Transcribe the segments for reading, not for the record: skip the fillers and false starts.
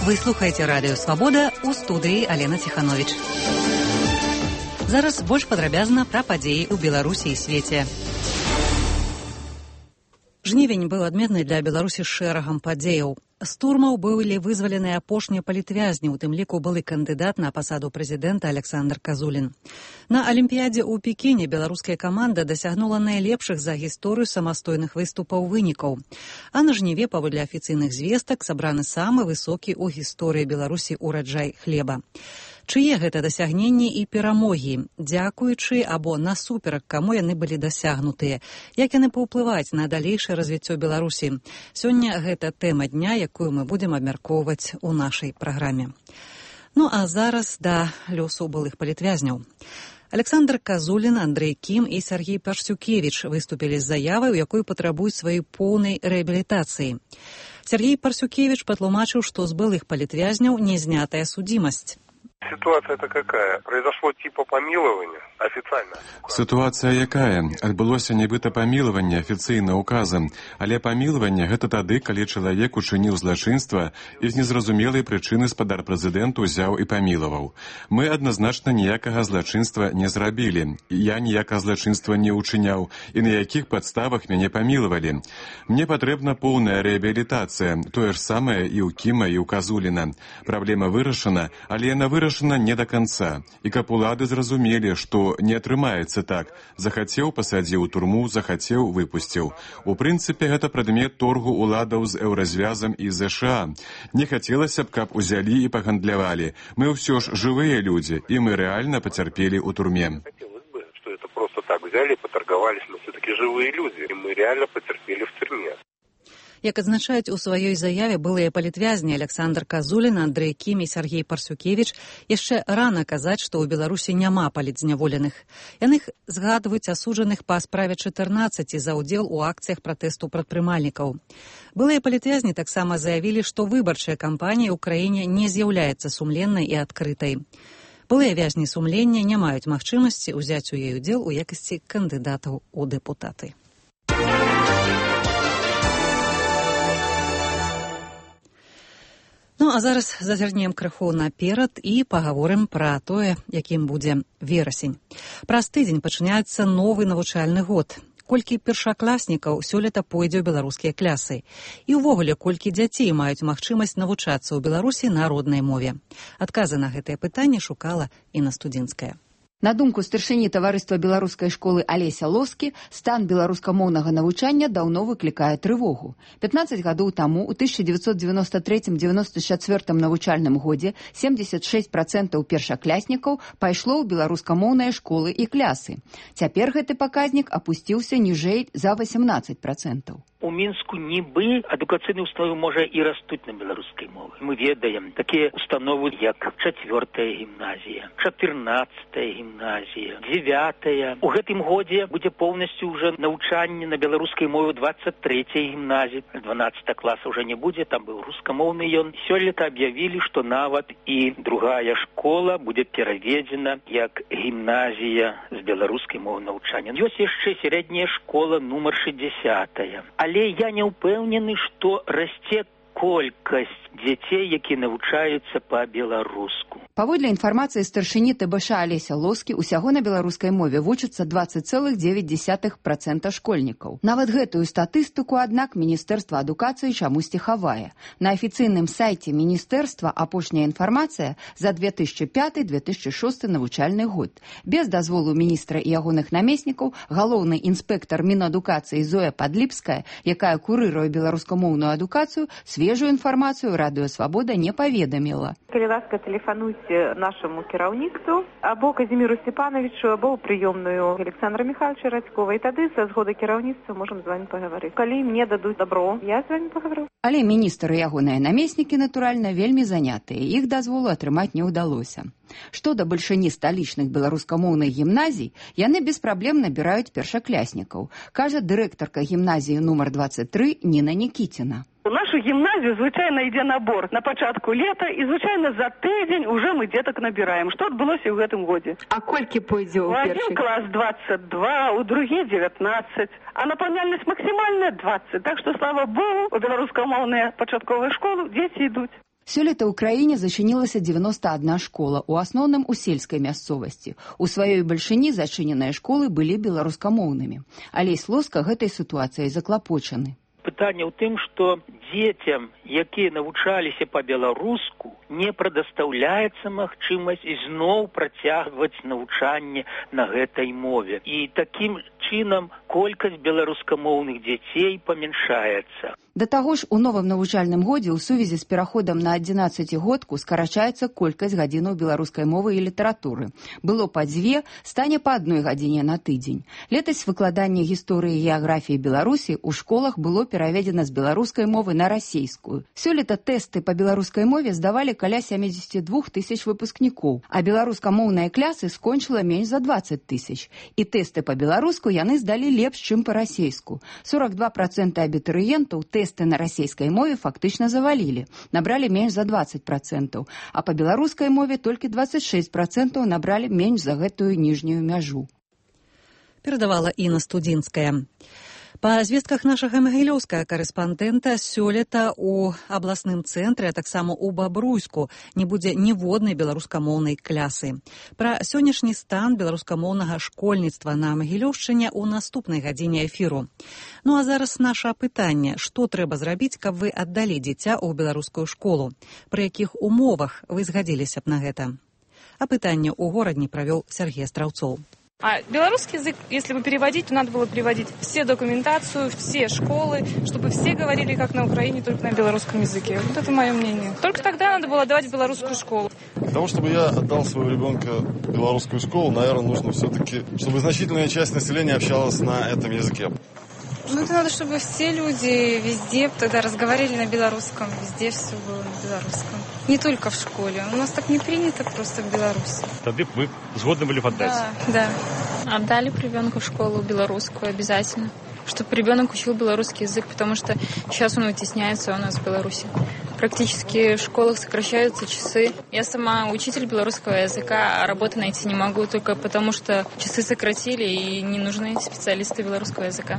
Вы слухаеце радыё «Свабода», у студыі Алена Ціхановіч. Зараз больш падрабязна пра падзеі ў Беларусі і свеце. Жнівень быў адметны для Беларусі шэрагам падзеяў. З турмаў былі вызвалены апошнія палітвязні, у тым ліку былы кандыдат на пасаду прэзідэнта Александр Казулін. На Алімпіядзе ў Пекіне беларуская каманда дасягнула найлепшых за гісторыю самастойных выступаў вынікаў. А на жніве, паводле афіцыйных звестак, сабраны самы высокі ў гісторыі Беларусі ураджай хлеба. Чые гэта дасягненні і перамогі, дзякуючы або насуперак каму яны былі дасягнутыя, як яны паўплываюць на далейшае развіццё Беларусі. Сёння гэта тэма дня, якую мы будзем абмяркоўваць у нашай праграме. Ну а зараз да лёсу былых палітвязняў. Александр Казулін, Андрэй Кім і Сергей Парсюкевіч выступілі з заявай, у якой патрабуюць сваёй поўнай рэабілітацыі. Сергей Парсюкевіч патлумачыў, што з былых палітвязняў не знятая судзімасць. Ситуация-то какая? Произошло типа помилования официально? Ситуация якая? Адбылося нібыта памілаванне афіцыйна указам, але памілаванне гэта тады, калі чалавек учыніў злачынства і з незразумелай прычыны спадар прэзідэнт узяў і памілаваў. Мы адназначна ніякага злачынства не зрабілі. Я ніякага злачынства не учыняў і на якіх падставах мяне памілавалі. Мне патрэбна поўная рэабілітацыя, тое ж самае і ў Кіма, і ў Казуліна. Праблема вырашана, але яна вырашана не да канца. І каб улады зразумелі, што не атрымаецца так. Захацеў, пасадзіў у турму, захацеў, выпусціў. У прынцыпе, гэта прадмет торгу уладаў з еўразвязам і ЗША. Не хацелася б, каб узялі і пагандлявалі. Мы ўсё ж жывыя людзі, і мы рэальна пацярпелі ў турме. Хотелось бы, что это просто так взяли, поторговались, но все-таки живые люди, и мы реально потерпели в тюрьме. Як адзначаюць у сваёй заяве былыя палітвязні Александр Казулін, Андрэй Кім і Сергей Парсюкевіч, яшчэ рана казаць, што ў Беларусі няма палітзняволеных. Яны згадваюць асуджаных па справе 14 за ўдзел у акцыях пратэсту прадпрымальнікаў. Былыя палітвязні таксама заявілі, што выбарчая кампанія ў краіне не з'яўляецца сумленнай і адкрытай. Былыя вязні сумлення не маюць магчымасці ўзяць у ёй удзел у якасці кандыдатаў у дэпутаты. Ну, а зараз зазірнем крыху наперад і пагаворым пра тое, якім будзе верасень. Праз тыдзень пачынаецца новы навучальны год. Колькі першакласнікаў сёлета пойдзе ў беларускія клясы. І ўвогуле, колькі дзяцей маюць магчымасць навучацца ў Беларусі на роднай мове. Адказы на гэтае пытанне шукала Інна Студзінская. На думку старшыні таварыства беларускай школы Алеся Лоскі, стан беларускамоўнага навучання даўно выклікае трывогу. 15 гадоў таму, у 1993-94 навучальным годзе, 76% першакляснікаў пайшло ў беларускамоўныя школы і клясы. Цяпер гэты паказнік апусціўся ніжэй за 18%. У Мінску нібы адукацыйныя установы можа і растуць на беларускай мове. Мы ведаем такія установы, як 4-я гімназія, 14-я гімназія, 9-я. У гэтым годзе будзе поўнасцю ўжо навучанне на беларускай мове 23-й гімназіі. 12 класа ўжо не будзе, там быў рускамоўны ён. Сёлета аб'явілі, што нават і другая школа будзе пераведзена як гімназія з беларускай мовы навучання. Ёсць яшчэ сярэдняя школа нумар 60-я. Але я не ўпэўнены, што расце колькасць дзяцей, якія навучаюцца па-беларуску. Паводле інфармацыі старшыні ТБШ Алеся Лоскі, усяго на беларускай мове вучацца 20,9% школьнікаў. Нават гэтую статыстыку, аднак, Міністэрства адукацыі чамусьці хавае. На афіцыйным сайце міністэрства апошняя інфармацыя за 2005-2006 навучальны год. Без дазволу міністра і ягоных намеснікаў галоўны інспектар Мінадукацыі Зоя Падліпская, якая курыруе беларускамоўную адукацыю, свежую інфармацыю Радыё Свабода не паведаміла. Калі ласка, тэлефануйце нашаму кіраўніцтву або Казіміру Степановичу, або ў прыёмную Александра Михайловича Радькова, і тады са згоды кіраўніцтва можам з вами пагаварыць. Калі мне дадуць добро, я з вами пагавару. Але міністр і ягоныя намеснікі, натуральна, вельмі занятыя. Іх дазволу атрымаць не ўдалося. Што да бальшыні сталічных беларускамоўных гімназій, яны без праблем набіраюць першакляснікаў, кажа дырэктарка гімназіі нумар 23 Ніна Нікіціна. У нашу гімназію, звычайна, ідзе набор на пачатку лета, і, звычайна, за тыдзень уже мы дзетак набіраем. Што адбылося ў гэтым годзе? А колькі пойдзе ў першы? У адзін клас 22, у другі 19, а напаўняльнасць максімальная 20. Так што, слава Богу, у беларускамоўныя пачатковыя школы дзеці ідуць. Сёлета ў краіне зачынілася 91 школа, у асноўным у сельскай мясцовасці. У сваёй бальшыні зачыненыя школы былі беларускамоўнымі. Алесь Лоска гэтай сітуацыяй заклапочаны. Пытанне ў тым, што дзецям, якія навучаліся па-беларуску, не прадастаўляецца магчымасць ізноў працягваць навучанне на гэтай мове. І такім чынам колькасць беларускамоўных дзяцей памяншаецца. Да таго ж, у новым навучальным годзе ў сувязі з пераходам на 11-годку скарачаецца колькасць гадзінаў беларускай мовы і літаратуры. Было па 2, стане па 1 гадзіне на тыдзень. Летась выкладанне гісторыі і геаграфіі Беларусі ў школах было пераведзена з беларускай мовы на расейскую. Сёлета тэсты па беларускай мове здавалі каля 72 тысяч выпускнікоў, а беларускамоўныя клясы скончыла менш за 20 тысяч. І тэсты па-беларуску яны здалі лепш, чым па-расейску. 42% абітурыентаў тэсты на расійскай мове фактычна завалілі, набралі менш за 20%, а па беларускай мове толькі 26% набралі менш за гэтую ніжнюю мяжу. Перадавала Інна Студзінская. Па звестках нашага магілёўскага карэспандэнта, сёлета ў абласным цэнтры, а таксама ў Бабруйску не будзе ніводнай беларускамоўнай клясы. Пра сённяшні стан беларускамоўнага школьніцтва на Магілёўшчыне ў наступнай гадзіне эфіру. Ну а зараз наша пытанне: што трэба зрабіць, каб вы аддалі дзіця ў беларускую школу? Пры якіх умовах вы згадзіліся б на гэта? А пытанне ў горадні правёў Сергей Страўцоў. А белорусский язык, если бы переводить, то надо было переводить все документацию, все школы, чтобы все говорили, как на Украине, только на белорусском языке. Вот это мое мнение. Только тогда надо было отдавать в белорусскую школу. Для того, чтобы я отдал своего ребенка в белорусскую школу, наверное, нужно все-таки, чтобы значительная часть населения общалась на этом языке. Ну, это надо, чтобы все люди везде тогда разговаривали на белорусском, везде все было на белорусском. Не только в школе. У нас так не принято просто в Беларуси. Тогда вы згодны были отдать? Да. Отдали ребенку в школу белорусскую обязательно, чтобы ребенок учил белорусский язык, потому что сейчас он вытесняется у нас в Беларуси. Практически в школах сокращаются часы. Я сама учитель белорусского языка, а работы найти не могу только потому, что часы сократили и не нужны специалисты белорусского языка.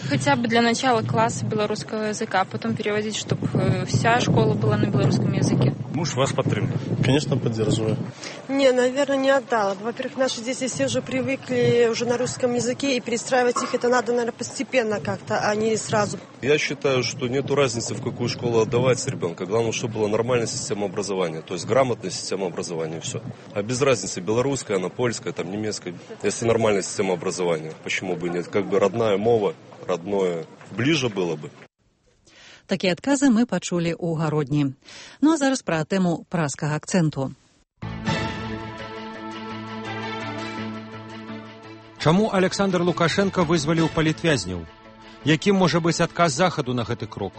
Хотя бы для начала класса белорусского языка, а потом переводить, чтобы вся школа была на белорусском языке. Муж вас поддерживает? Конечно, поддерживаю. Не, наверное, не отдала. Во-первых, наши дети все уже привыкли уже на русском языке, и перестраивать их это надо, наверное, постепенно как-то, а не сразу. Я считаю, что нету разницы, в какую школу отдавать ребенка. Главное, чтобы была нормальная система образования, то есть грамотная система образования, и все. А без разницы, белорусская, она польская, там немецкая. Если нормальная система образования, почему бы нет? Как бы родная мова, родное, ближе было бы. Такія адказы мы пачулі ў гародні. Ну а зараз пра тэму праскага акцэнту. Чаму Александр Лукашенко вызваліў палітвязняў? Якім можа быць адказ захаду на гэты крок?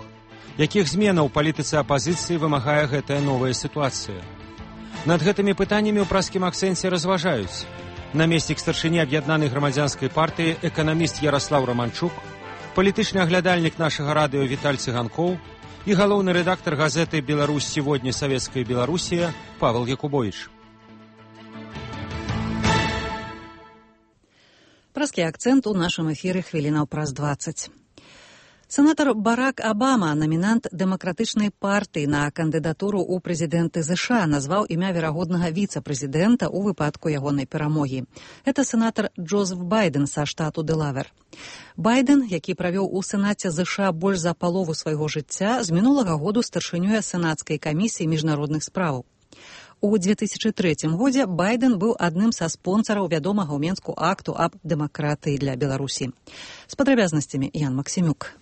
Якіх зменаў у палітыцы апазіцыі вымагае гэтая новая сітуацыя? Над гэтымі пытаннямі ў праскім акцэнце разважаюць намеснік старшыні аб'яднанай грамадзянскай партыі эканаміст Ярослаў Романчук, палітычны аглядальнік нашага радыё Віталь Цыганкоў і галоўны рэдактар газеты «Беларусь сегодня. Советская Белоруссия» Павел Якубович. Праскі акцэнт у нашым эфіры хвілінаў праз 20. Сенатор Барак Обама, номінант дэмакратычнай партыі на кандыдатуру ў прэзідэнты ЗША, назваў імя верагоднага віцэ-прэзідэнта ў выпадку ягонай перамогі. Это сенатор Джозеф Байден са штату Дэлавер. Байден, які правёў у Сенаце ЗША больш за палову свайго жыцця, з мінулага году старшынёй сенацкай камісіі міжнародных спраў. У 2003 годзе Байден быў адным са спонсараў вядомага ў Менску акту аб дэмакратыі для Беларусі. З падрабязнасцямі Ян Максімюк.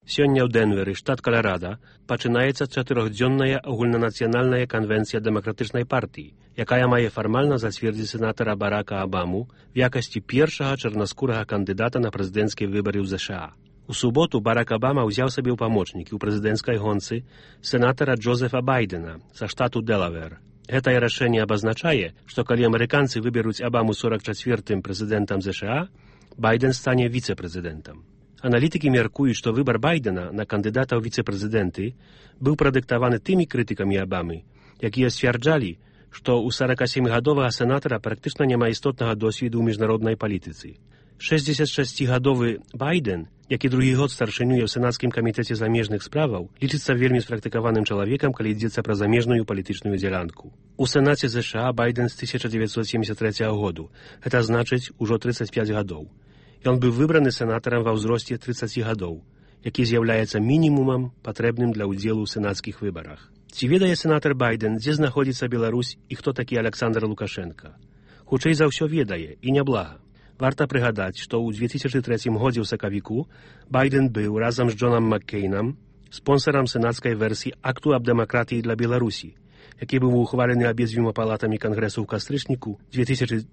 Сёння ў Дэнверы, штат Каларада, пачынаецца 4-дзённая агульнанацыянальная канвенцыя дэмакратычнай партыі, якая мае фармальна зацвердзіць сенатара Барака Обаму в якасці першага чарнаскурага кандыдата на прэзідэнцкія выбары ў ЗША. У суботу Барак Обама ўзяў сабе ў памочнікі ў прэзідэнцкай гонцы сенатара Джозефа Байдена са штату Дэлавер. Гэтае рашэнне абазначае, што калі амерыканцы выберуць Обаму 44-м прэзідэнтам ЗША, Байден стане віцэ-прэзідэнтам. Аналітыкі мяркуюць, што выбар Байдена на кандыдата ў віцэ-прэзідэнты быў прадыктаваны тымі крытыкамі Обамы, якія сцвярджалі, што ў 47-гадовага сенатара практычна няма істотнага досведу ў міжнароднай палітыцы. 66-гадовы Байден, які другі год старшынюе ў сенацкім камітэце замежных справаў, лічыцца вельмі спрактыкаваным чалавекам, калі ідзецца пра замежную палітычную дзялянку. У Сенаце ЗША Байден з 1973 году, гэта значыць ужо 35 гадоў. Ён быў выбраны сенатарам ва ўзросце 30 гадоў, які з'яўляецца мінімумам, патрэбным для ўдзелу ў сенацкіх выбарах. Ці ведае сенатар Байден, дзе знаходзіцца Беларусь і хто такі Александр Лукашенка? Хутчэй за ўсё ведае, і няблага. Варта прыгадаць, што ў 2003 годзе ў сакавіку Байден быў разам з Джонам Маккейнам спонсарам сенацкай версіі акту аб дэмакратыі для Беларусі, які быў ухвалены абедзвюма палатамі Кангрэсу ў кастрычніку 2004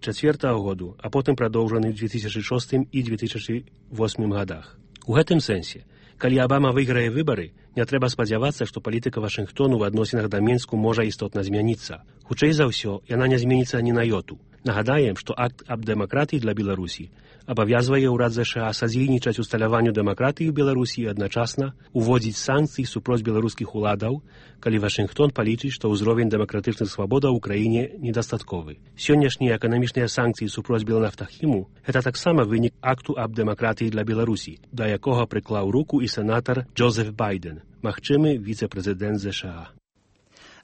году, а потым прадоўжаны ў 2006 і 2008 годах. У гэтым сэнсе, калі Абама выйграе выбары, не трэба спадзявацца, што палітыка Вашынгтону ў адносінах да Менску можа істотна змяніцца. Хутчэй за ўсё, яна не зменіцца ні на йоту. Нагадаем, што акт аб дэмакратыі для Беларусі абавязвае ўрад ЗША садзейнічаць усталяванню дэмакратыі ў Беларусі і адначасна уводзіць санкцыі супроць беларускіх уладаў, калі Вашынгтон палічыць, што ўзровень дэмакратычных свабодаў у краіне недастатковы. Сённяшнія эканамічныя санкцыі супроць Белнафтахіму – гэта таксама вынік акту аб дэмакратыі для Беларусі, да якога прыклаў руку і сенатар Джозеф Байден, магчымы віцэ-прэзідэнт ЗША.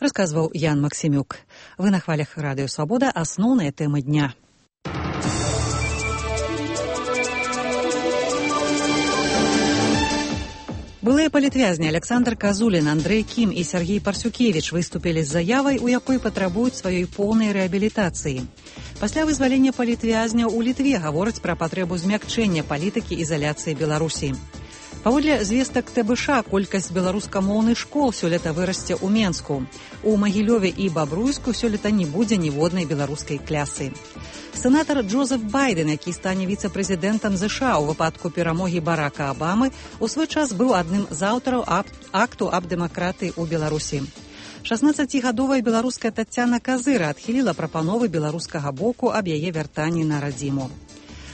Расказваў Ян Максімюк. Вы на хвалях Радыё Свабода. Асноўныя тэмы дня. Былыя палітвязні Александр Казулін, Андрэй Кім і Сергей Парсюкевіч выступілі з заявай, у якой патрабуюць сваёй поўнай рэабілітацыі. Пасля вызвалення палітвязняў у Літве гавораць пра патрэбу змякчэння палітыкі ізаляцыі Беларусі. Паводле звестак ТБШ, колькасць беларускамоўных школ сёлета вырасце ў Менску. У Магілёве і Бабруйску сёлета не будзе ніводнай беларускай клясы. Сенатар Джозеф Байден, які стане віцэ-прэзідэнтам ЗША ў выпадку перамогі Барака Абамы, у свой час быў адным з аўтараў акту аб дэмакратыі ў Беларусі. 16-гадовая беларуская Таццяна Казыра адхіліла прапановы беларускага боку аб яе вяртанні на радзіму.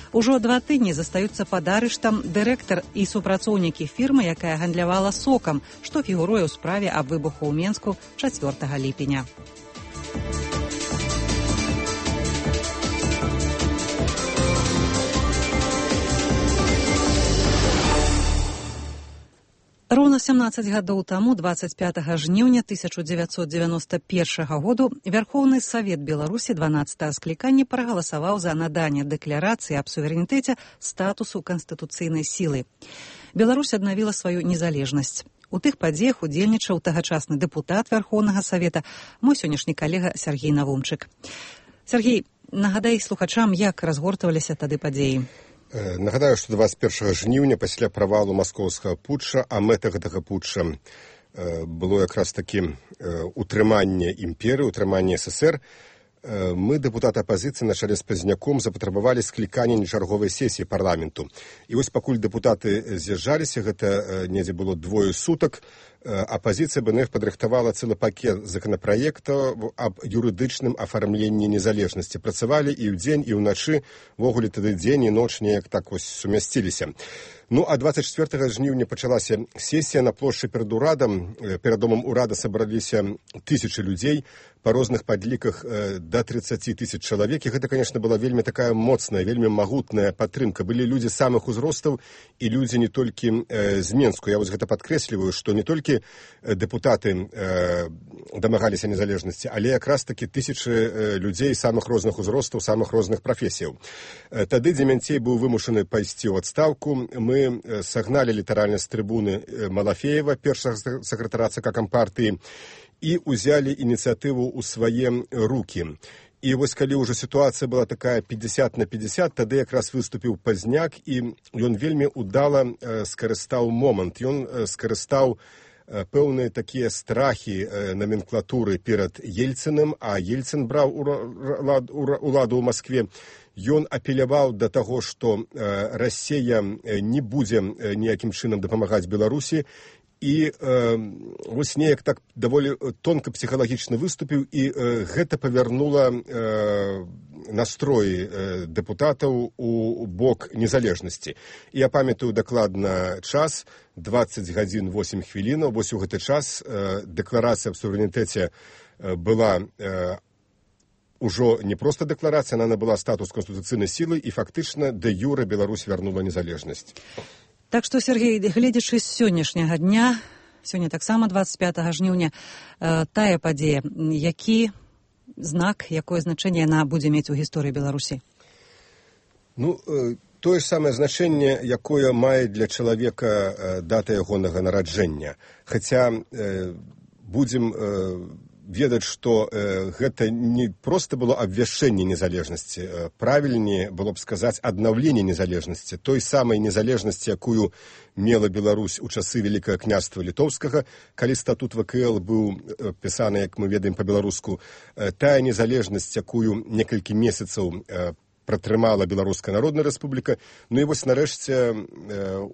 Ужо 2 тыдні застаюцца пад арыштам дырэктар і супрацоўнікі фірмы, якая гандлявала сокам, што фігуруе ў справе аб выбуху ў Менску 4 ліпеня. Роўна 17 гадоў таму, 25 жніўня 1991 году, Вярхоўны Савет Беларусі 12 склікання прагаласаваў за наданне дэкларацыі аб суверэнітэце статусу канстытуцыйнай сілы. Беларусь аднавіла сваю незалежнасць. У тых падзеях удзельнічаў тагачасны дэпутат Вярхоўнага Савета, мой сённяшні калега Сергей Навумчык. Сергей, нагадай слухачам, як разгортваліся тады падзеі. Нагадаю, што 21 жніўня пасля правалу маскоўскага путча, а мэта гэтага путча было якраз такі утрыманне імперыі, утрыманне СССР, мы, дэпутаты апазіцыі, на чале з Пазняком, запатрабавалі склікання нечарговай сесіі парламенту. І вось пакуль дэпутаты з'язджаліся, гэта недзе было 2 сутак, апазіцыя БНФ падрыхтавала цэлы пакет законапраектаў аб юрыдычным афармленні незалежнасці. Працавалі і ўдзень, і ўначы, ввогуле тады дзень і ноч неяк так вось сумясціліся. Ну, а 24 жніўня пачалася сесія на плошчы перад урадам. Перад домам урада сабраліся тысячы людзей, па розных падліках да 30 тысяч чалавек. І гэта, конечно, была вельмі такая моцная, вельмі магутная падтрымка. Былі людзі самых узростаў і людзі не толькі з Менску. Я вось гэта падкрэсліваю, што не толькі дэпутаты дамагаліся незалежнасці, але якраз такі тысячы людзей самых розных узростаў, самых розных прафесіяў. Тады Дземянцей быў вымушаны пайсці ў адстаўку. Мы сагналі літаральна з трыбуны Малафеева, першага сакратара ЦК Кампартыі, і ўзялі ініцыятыву ў свае рукі. І вось калі ўжо сітуацыя была такая 50/50, тады якраз выступіў Пазняк, і ён вельмі удала скарыстаў момант. Ён скарыстаў пэўныя такія страхі номенклатуры перад Ельцыным, а Ельцын браў уладу ў Маскве. Ён апеляваў да таго, што Расія не будзе ніякім чынам дапамагаць Беларусі, і вось неяк так даволі тонка псіхалагічна выступіў, і гэта павярнула настроі дэпутатаў у бок незалежнасці. І я памятаю дакладна час, 20 гадзін 8 хвілінаў, вось у гэты час дэкларацыя аб суверэнітэце была ужо не проста дэкларацыя, она набыла статус канстытуцыйнай сілы і фактычна дэ-юрэ Беларусь вярнула незалежнасць. Так што, Сергей, гледзячы з сённяшняга дня, сёння таксама 25 жніўня, тая падзея, які знак, якое значэнне яна будзе мець у гісторыі Беларусі? Ну, тое ж самае значэнне, якое мае для чалавека дата ягонага нараджэння. Хаця будзем ведаць, што гэта не проста было абвяшчэнне незалежнасці, правільней было б сказаць аднаўленне незалежнасці, той самай незалежнасці, якую мела Беларусь у часы Вялікага княства Літоўскага, калі статут ВКЛ быў пісаны, як мы ведаем па-беларуску, тая незалежнасць, якую некалькі месяцаў пратрымала Беларуская Народная Рэспубліка. Ну і вось нарэшце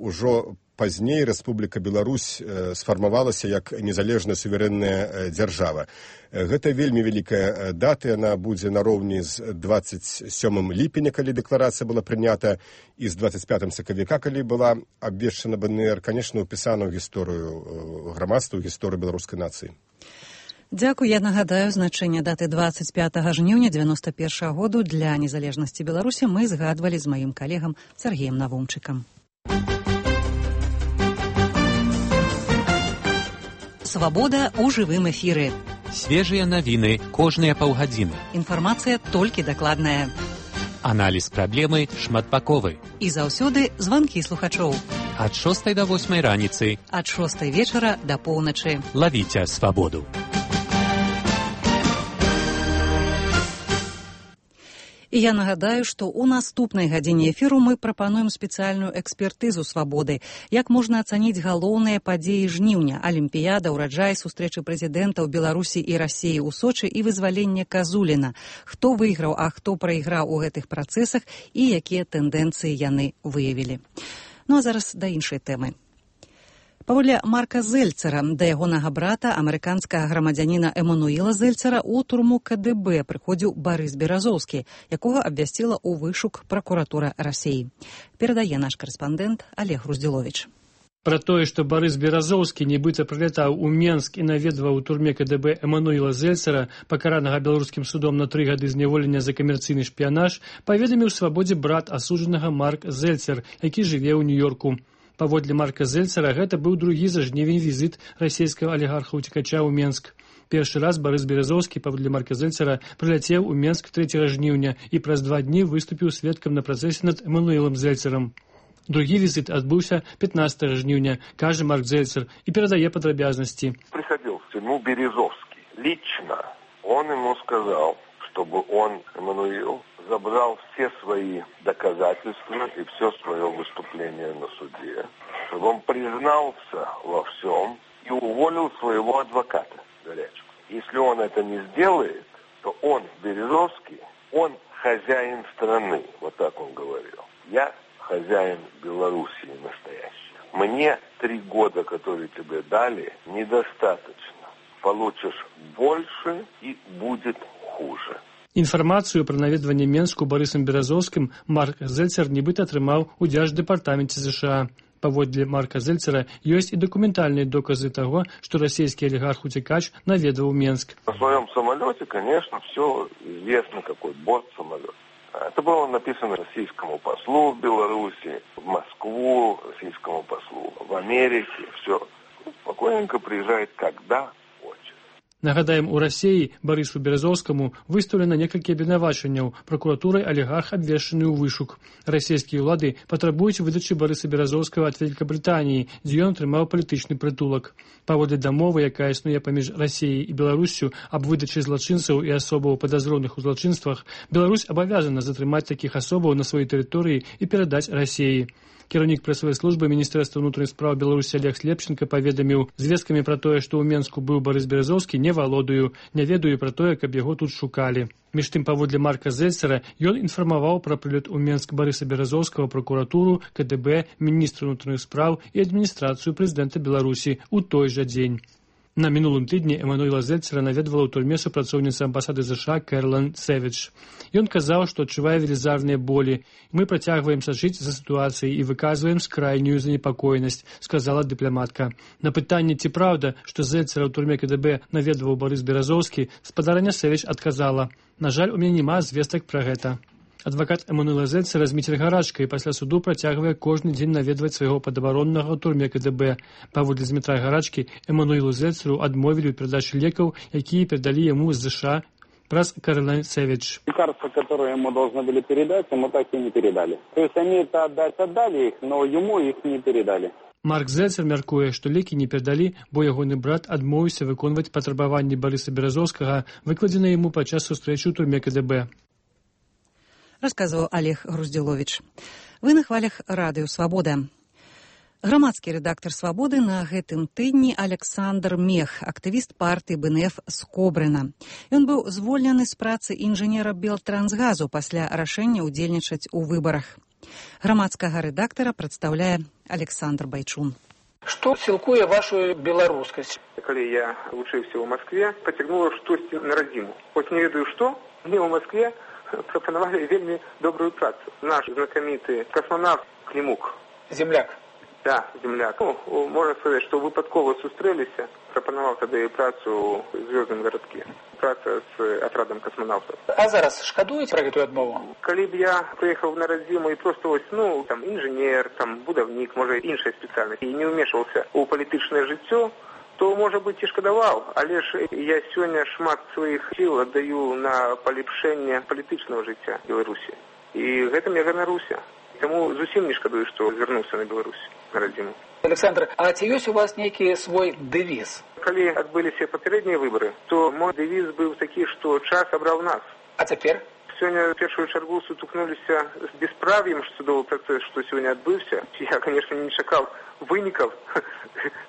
ўжо пазней Рэспубліка Беларусь сфармавалася як незалежная суверэнная дзяржава. Гэта вельмі вялікая дата, яна будзе нароўні з 27 ліпеня, калі дэкларацыя была прынята, і з 25 сакавіка, калі была абвешчана БНР, канешне, упісана ў гісторыю грамадства, ў гісторыю беларускай нацыі. Дзякуй. Я нагадаю, значэнне даты 25 жніўня 91 году для незалежнасці Беларусі мы згадвалі з маім калегам Сергеем Навумчыкам. Свабода ў жывым эфіры. Свежыя навіны кожныя паўгадзіны. Інфармацыя толькі дакладная. Аналіз праблемы шматбаковы. І заўсёды званкі слухачоў. Ад 6 до 8 раніцы. Ад 6 вечара да поўначы. Лавіце свабоду. І я нагадаю, што ў наступнай гадзіне эфіру мы прапануем спецыяльную экспертызу свабоды. Як можна ацаніць галоўныя падзеі жніўня: Алімпіяда, ураджай, сустрэчы прэзідэнтаў Беларусі і Расіі ў Сочы і вызваленне Казуліна. Хто выйграў, а хто прайграў у гэтых працэсах і якія тэндэнцыі яны выявілі. Ну а зараз да іншай тэмы. Паводле Марка Зельцера, да ягонага брата, амерыканскага грамадзяніна Эмануіла Зельцера, у турму КДБ прыходзіў Барыс Беразоўскі, якога абвясціла ў вышук пракуратура Расіі. Перадае наш карэспандэнт Олег Груздзіловіч. Пра тое, што Барыс Беразоўскі нібыта прылятаў у Менск і наведваў у турме КДБ Эмануіла Зельцера, пакаранага беларускім судом на 3 гады зняволення за камерцыйны шпіянаж, паведаміў свабодзе брат асуджанага Марк Зельцер, які жыве ў Нью-Йорку. Паводле Марка Зельцера, гэта быў другі за жнівень візіт расійскага алігарха-уцекача ў Менск. Першы раз Барыс Беразоўскі, паводле Марка Зельцера, прыляцеў у Менск 3 жніўня і праз 2 дні выступіў сведкам на працэсе над Эмануілам Зельцерам. Другі візіт адбыўся 15 жніўня, кажа Марк Зельцер, і перадае падрабязнасці. Приходил в тюрьму Березовский. Лично он ему сказал, чтобы он, Эммануил, забрал все свои доказательства и все свое выступление на суде, чтобы он признался во всем и уволил своего адвоката Горячку. Если он это не сделает, то он, Березовский, он хозяин страны, вот так он говорил. Я хозяин Белоруссии настоящий. Мне 3 года, которые тебе дали, недостаточно. Получишь больше и будет хуже. Інфармацыю пра наведванне Менску Барысам Беразоўскім Марк Зельцер нібыта атрымаў у Дзярждэпартаменце США. Паводле Марка Зельцера ёсць і дакументальныя доказы таго, што расійскі алігарх-уцекач наведваў Менск. На своем самолете, конечно, все известно, какой борт самолета. Это было написано российскому послу в Беларуси, в Москву, российскому послу в Америке. Все. Спокойненько приезжает, когда хочет. Нагадаем, у Расіі Барысу Беразоўскаму выстаўлена некалькі абвінавачанняў. Пракуратурай алігарх абвешчаны ў вышук. Расійскія ўлады патрабуюць выдачы Барыса Беразоўскага ад Вялікабрытаніі, дзе ён атрымаў палітычны прытулак. Паводле дамовы, якая існуе паміж Расіяй і Беларуссю аб выдачы злачынцаў і асобаў падазроных у злачынствах, Беларусь абавязана затрымаць такіх асобаў на сваёй тэрыторыі і перадаць Расіі. Кіраўнік прэсавай службы Міністэрства ўнутраных спраў Беларусі Олег Слепченко паведаміў: звесткамі пра тое, што ў Менску быў Барыс Беразоўскі, не валодаю, не ведаю пра тое, каб яго тут шукалі. Між тым, паводле Марка Зельцера, ён інфармаваў пра прылёт у Менск Барыса Беразоўскага пракуратуру, КДБ, міністра ўнутраных спраў і адміністрацыю прэзідэнта Беларусі ў той жа дзень. На мінулым тыдні Эмануэла Зельцера наведвала ў турме супрацоўніца амбасады США Кэролайн Сэвідж. Ён казаў, што адчувае велізарныя болі. Мы працягваем сачыць за сітуацыяй і выказваем скрайнюю занепакоенасць, сказала дыпламатка. На пытанне, ці праўда, што Зельцера ў турме КДБ наведваў Барыс Беразоўскі, спадарня Сэвідж адказала: «На жаль, у мяне няма звестак пра гэта». Адвакат Эмануэла Зельцера Зміцер Гарачка і пасля суду працягвае кожны дзень наведваць свайго падабароннага ў турме КДБ. Паводле Змітра Гарачкі, Эмануэлу Зельцеру адмовілі ў перадачы лекаў, якія перадалі яму з США праз Кэролайн Сэвідж. Лекарства, которые ему должны были передать, ему так и не передали. То есть они это отдали их, но ему их не передали. Марк Зельцер мяркуе, што лекі не перадалі, бо ягоны брат адмовіўся выконваць патрабаванні Барыса Беразоўскага, выкладзеныя яму падчас сустрэчы ў турме КДБ. Расказваў Олег Груздзіловіч. Вы на хвалях радыё «Свабода». Грамадскі рэдактар «Свабоды» на гэтым тыдні Александр Мех, актывіст партыі БНФ з Кобрына. Ён быў звольнены з працы інжынера Белтрансгазу пасля рашэння ўдзельнічаць у выбарах. Грамадскага рэдактара прадстаўляе Александр Байчун. Што сілкуе вашу беларускасць? Калі я вучыўся ў Маскве, пацягнула штосьці на радзіму. Хоць не ведаю што, мне ў Маскве прапанавалі вельмі добрую працу. Наш знакаміты космонавт Клімук. Земляк. Да, земляк. Ну, можна сказаць, што выпадкова сустрэліся, прапанаваў тады працу ў звёздным гарадкі. Праца з атрадам космонавтаў. А зараз шкадуеце пра гэтую адмову? Калі б я прыехаў на радзіму і проста вось, там інжынер, там будаўнік, можа іншая спецыяльнасць, і не ўмешваўся ў палітычнае жыццё, то, можа быць, і шкадаваў, але ж я сёння шмат сваіх сіл аддаю на палепшэнне палітычнага жыцця Беларусі. І гэтым я ганаруся. Таму зусім не шкадую, што звярнуўся на Беларусь, на радзіму. Александр, а ці ёсць у вас нейкі свой дэвіз? Калі адбыліся папярэднія выбары, то мой дэвіз быў такі, што час абраў нас. А цяпер? Сёння в першую чаргу сутыкнуліся з бесправ'ем судовы працэс, што сёння адбыўся. Я, конечно, не чакаў вынікаў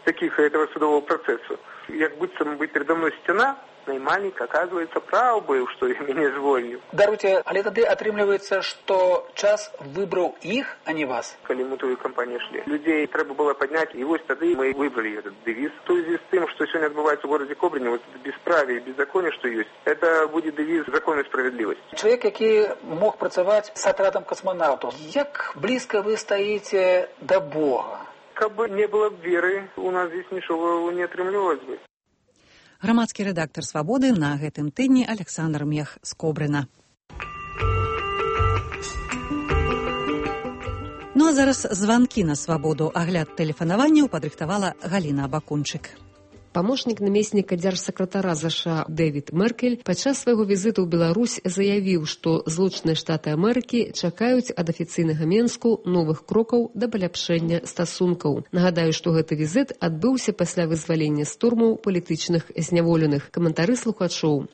таких этого судового процессу. Як быццам бы передо мной сцяна, наймальник, оказывается, прав быў, што я мяне звольніў. Даруйце, але тады атрымліваецца, што час выбраў іх, а не вас. Калі мы тую кампанію шлі, людзей трэба было падняць, і вось тады мы выбралі этот дэвіз. В связи з тым, што сёння адбываецца ў горадзе Кобрыне, вот бесправие и беззаконие, што ёсць, это будзе дэвіз закон і справядлівасць. Чалавек, які мог працаваць з атрадам космонаўтаў, як блізка вы стаіце да Бога? Каб не было б веры, у нас здесь нічога не атрымлівалось бы. Грамадскі рэдактар «Свабоды» на гэтым тыдні Александр Мех з Кобрына. Ну а зараз званкі на «Свабоду». Агляд тэлефанаванняў падрыхтавала Галіна Абакунчык. Памочнік намесніка дзяржсакратара ЗША Дэвід Меркель падчас свайго візіту ў Беларусь заявіў, што Злучаныя Штаты Амерыкі чакаюць ад афіцыйнага Менску новых крокаў да паляпшэння стасункаў. Нагадаю, што гэты візіт адбыўся пасля вызвалення з турмаў палітычных зняволеных. Каментары слухачоў.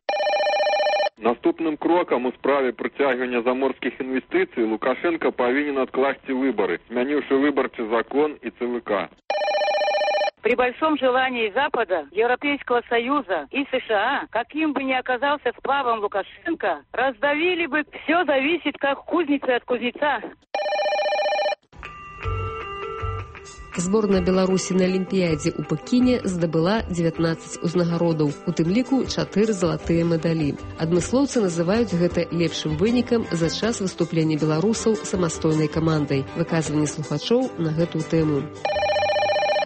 Наступным крокам у справе прыцягвання заморскіх інвестыцый Лукашенко павінен адкласці выбары, змяніўшы выбарчы закон і ЦВК. При большом желании Запада, Европейского Союза и США, каким бы ни оказался сплавом Лукашенко, раздавили бы. Все зависит как кузница от кузнеца. Зборная Беларусі на Алімпіядзе ў Пекіне здабыла 19 узнагародаў, у тым ліку 4 залатыя медалі. Адмыслоўцы называюць гэта лепшым вынікам за час выступлення беларусаў самастойнай камандай. Выказванне слухачоў на гэтую тэму.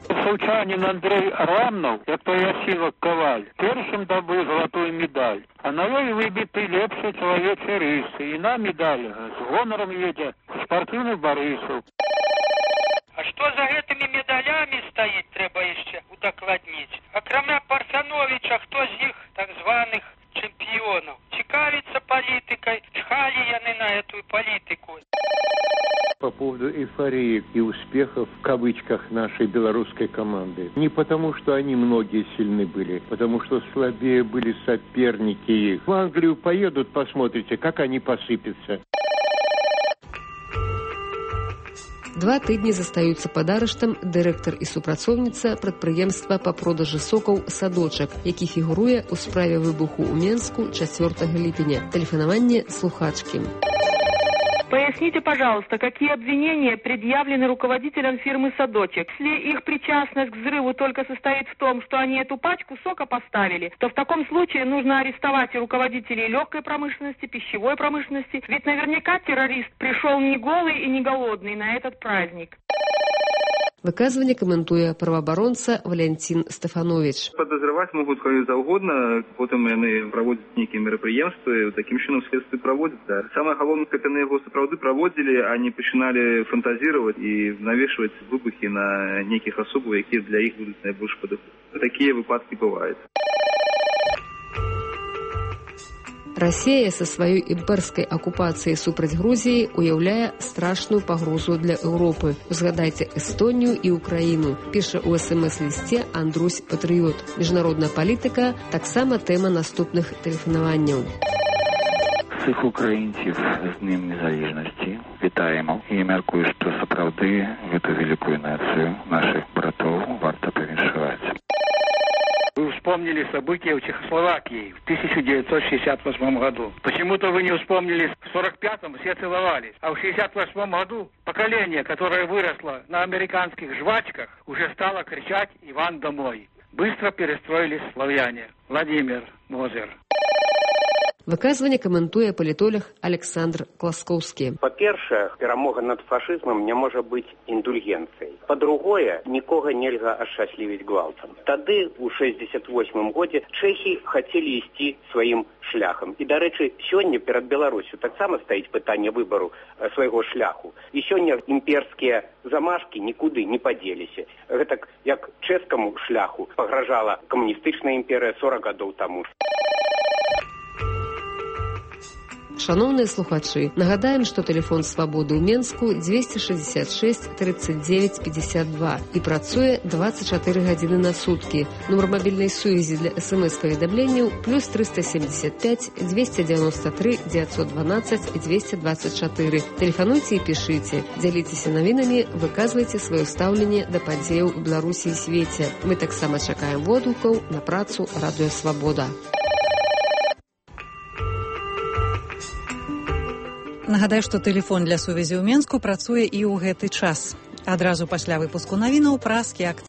Сулчанин Андрей Рамнов, як Ясилок Коваль, першым добыл золотую медаль. А на ёй выбіты лепшыя чалавечыя рысы. І на медаль з гонорам едзе спартыўны Барысаў. А што за гэтымі медалямі стаіць, трэба яшчэ удакладніць. Акрамя Парсановіча, хто з іх так званых чэмпіёнаў? Цікавіцца палітыкай, чхалі яны на эту палітыку. По поводу эйфории и успехов, в кавычках, нашей белорусской команды. Не потому, что они многие сильны были, потому что слабее были соперники их. В Англию поедут, посмотрите, как они посыпятся. 2 тыдні застаюцца пад арыштам дырэктар і супрацоўніца прадпрыемства па продажы сокаў «Садочак», які фігуруе ў справе выбуху ў Менску 4 ліпеня. Тэлефанаванне слухачкі. Поясните, пожалуйста, какие обвинения предъявлены руководителям фирмы «Садочек». Если их причастность к взрыву только состоит в том, что они эту пачку сока поставили, то в таком случае нужно арестовать и руководителей легкой промышленности, пищевой промышленности. Ведь наверняка террорист пришел не голый и не голодный на этот праздник. Выказванне каментуе праваабаронца Валентин Стефанович. Подозревать могут кого угодно, потом они проводят некие мероприемства, таким чином следствие проводят, да. Самое головное, как они его сапраўды проводили, они начинали фантазировать и навешивать выбухи на неких особых, которые для их будут наибольше подходить. Такие выпадки бывают. Расія са сваёй імперскай акупацыяй супраць Грузіі уяўляе страшную пагрозу для Еўропы. Узгадайце Эстонію і Украіну, піша ў СМС-лісце Андрусь Патрыёт. Міжнародная палітыка таксама тэма наступных тэлефанаванняў. Всіх українців з Днем Незалежності вітаємо і мяркую, што сапраўды гэту великую нацию наших братоў варта павіншаваць. Вы вспомнили события в Чехословакии в 1968 году. Почему-то вы не вспомнили, в 1945-м все целовались. А в 1968 году поколение, которое выросло на американских жвачках, уже стало кричать «Иван, домой!». Быстро перестроились славяне. Владимир Мозер. Выказванне каментуе палітолог Александр Класкоўскі. Па-першае, перамога над фашызмам не можа быць індульгенцыяй. Па-другое, нікога нельга ашчаслівіць гвалтам. Тады, у 68-м годзе, чэхі хацелі ісці сваім шляхам. І, дарэчы, сёння перад Беларусю таксама стаіць пытанне выбару свайго шляху. І сёння імперскія замашкі нікуды не падзеліся. Гэтак, як чэшскаму шляху пагражала камуністычная імперыя 40 гадоў таму. Шановныя слухачы, нагадаем, што тэлефон свабоды ў Менску 266 39 52 і працуе 24 гадзіны на суткі. Нумар мабільнай сувязі для СМС-паведамленняў +375 293 912 224. Тэлефануйце і пішыце, дзяліцеся навінамі, выказвайце сваё стаўленне да падзеяў у Беларусі і свеце. Мы таксама чакаем водгукаў на працу Радыё Свабода. Нагадаю, што тэлефон для сувязі ў Менску працуе і ў гэты час. Адразу пасля выпуску навінаў пра